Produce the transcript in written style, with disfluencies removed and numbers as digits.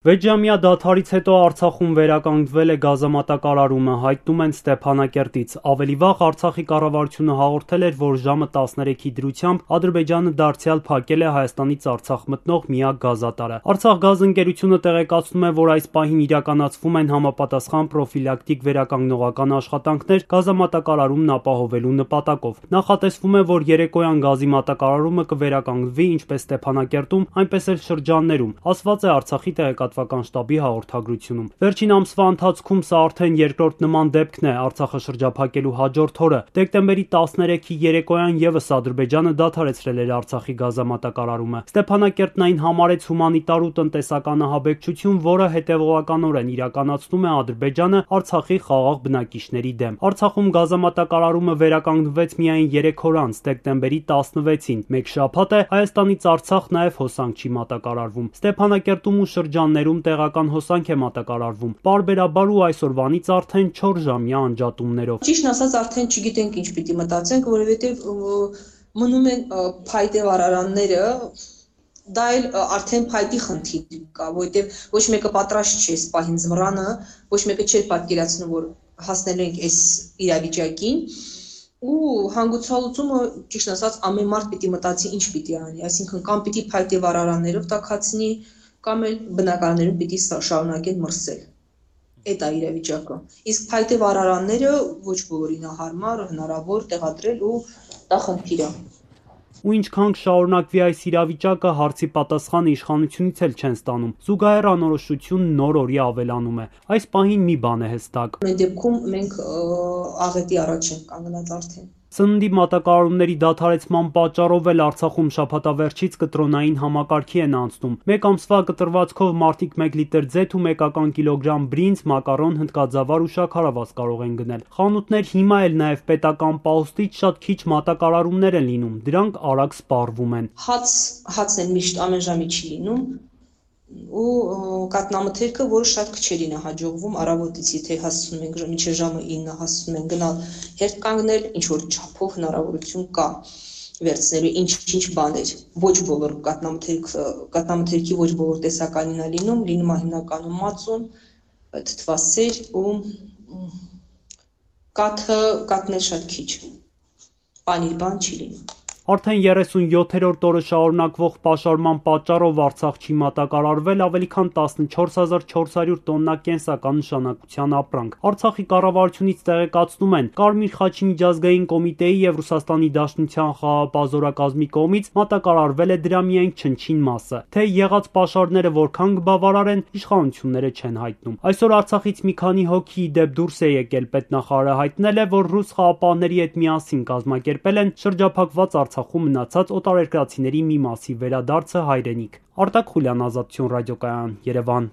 Վեցժամյա դադարից հետո Արցախում վերականգնվել է գազամատակարարումը, հայտնում են Ստեփանակերտից։ Ավելի վաղ Արցախի կառավարությունը հաղորդել էր, որ ժամը 13-ի դրությամբ Ադրբեջանը դարձյալ փակել է Հայաստանից Արցախ մտնող միակ գազատարը։ Արցախգազ ընկերությունը տեղեկացնում է, որ այս պահին իրականացվում են համապատասխան պրոֆիլակտիկ վերականգնողական աշխատանքներ գազամատակարարումն ապահովելու նպատակով։ Նախատեսվում է, որ երեկոյան գազի մատակարարումը կվերականգնվի ինչպես Ստեփանակերտում, այնպես էլ շրջաններում, ասված է Արցախի տեղեկատվական շտաբի հաղորդագրությունում։ Վերջին ամսվա ընթացքում սա արդեն երկրորդ նման դեպքն է Արցախը շրջափակելու հաջորդ օրը։ Դեկտեմբերի 13-ի երեկոյան ևս Ադրբեջանը դադարեցրել էր Արցախի գազամատակարարումը։ Ստեփանակերտն այն համարեց հումանիտար ու տնտեսական ահաբեկչություն, որը հետևողականորեն իրականացնում է Ադրբեջանը Արցախի խաղաղ բնակիչների դեմ։ Արցախում գազամատակարարումը վերականգնվեց միայն 3 օր անց, դեկտեմբերի 16-ին։ Մեկ շաբաթ է Հայաստանից Արցախ նաև հոսանք չի մատակարարվում։ Ստեփանակերտում ու շրջաններում տեղական հոսանք է մատակարարվում, պարբերաբար ու այսօրվանից արդեն 4-ժամյա անջատումներով։ Ճիշտն ասած, արդեն չգիտենք ինչ պիտի մտածենք, որովհետև մնում են փայտե վարարանները, դա էլ արդեն փայտի խնդիր կա, որովհետև ոչ մեկը պատրաստ չէ այս պահին զմռանը, ոչ մեկը չէր պատկերացնում, որ հասնելու ենք այս իրավիճակին։ Ու հանգուցալուծումը, ճիշտ ասած, ամեն մարդ պիտի մտածի ինչ պիտի անի, այսինքն կամ պիտի փայտե վարարաններով տաքացնի, կամ էլ բնակարաններում պիտի շարունակեն մրսել։ Այդ է իրավիճակը։ Իսկ փայտե վարարանները ոչ բոլորին է հարմար, հնարավոր տեղադրել ու դա խնդիր է։ Ու ինչքան կշարունակվի այս իրավիճակը, հարցի պատասխանը իշխանությունից էլ չեն ստանում։ Զուգահեռ անորոշությունն նոր-օրի ավելանում է։ Այս պահին մի բան է հստակ։ Այդ դեպքում մենք աղետի առաջ ենք կանգնած արդեն։ Սննդի մատակարարումների դադարեցման պատճառով էլ Արցախում շաբաթավերջից կտրոնային համակարգի են անցնում։ Մեկ ամսվա կտրվածքով մարդիկ 1 լիտր ձեթ ու մեկական կիլոգրամ բրինձ, մակարոն, հնդկածավալ ու շաքարավազ կարող են գնել։ Խանութներ հիմա էլ նաև պետական պահոստից շատ քիչ մատակարարումներ են լինում, դրանք արագ սպառվում են։ Հացն էլ միշտ ամեն ժամի չի լինում ու կատնամթերքը, որը շատ քչերին է հաջողվում առավոտից, եթե հասցնում ենք մինչև ժամը 9 հասցնում են գնալ հերթ կանգնել, ինչ որ չափով հնարավորություն կա վերցնելու ինչ բաներ։ Ոչ բոլոր կատնամթերքի ոչ բոլոր տեսականին է լինում է հիմնականում մածուն, թթվասեր ու կաթն էլ շատ քիչ, պանիր բան չի լինում։ Արդեն 37-րդ օրը շարունակվող պաշարման պատճառով Արցախ չի մատակարարվել ավելի քան 14400 տոննա կենսական նշանակության ապրանք։ Արցախի կառավարությունից տեղեկացնում են, Կարմիր խաչի միջազգային կոմիտեի եւ Ռուսաստանի Դաշնության խաղաղապազորակազմի կողմից մատակարարվել է դրա միայն չնչին մասը։ Թե եղած պաշարները որքան կբավարարեն, իշխանությունները չեն հայտնում։ Այսօր Արցախից մի քանի հոգի դեպ դուրս է եկել, պետնախարարը հայտնել է, որ ռուս խաղապահների հետ միասին կազմակերպել են շրջափակված Արցախում մնացած օտարերկրացիների մի մասի վերադարձը հայրենիք։ Արտակ Խուլյան, Ազատություն ռադիոկայան, Երևան։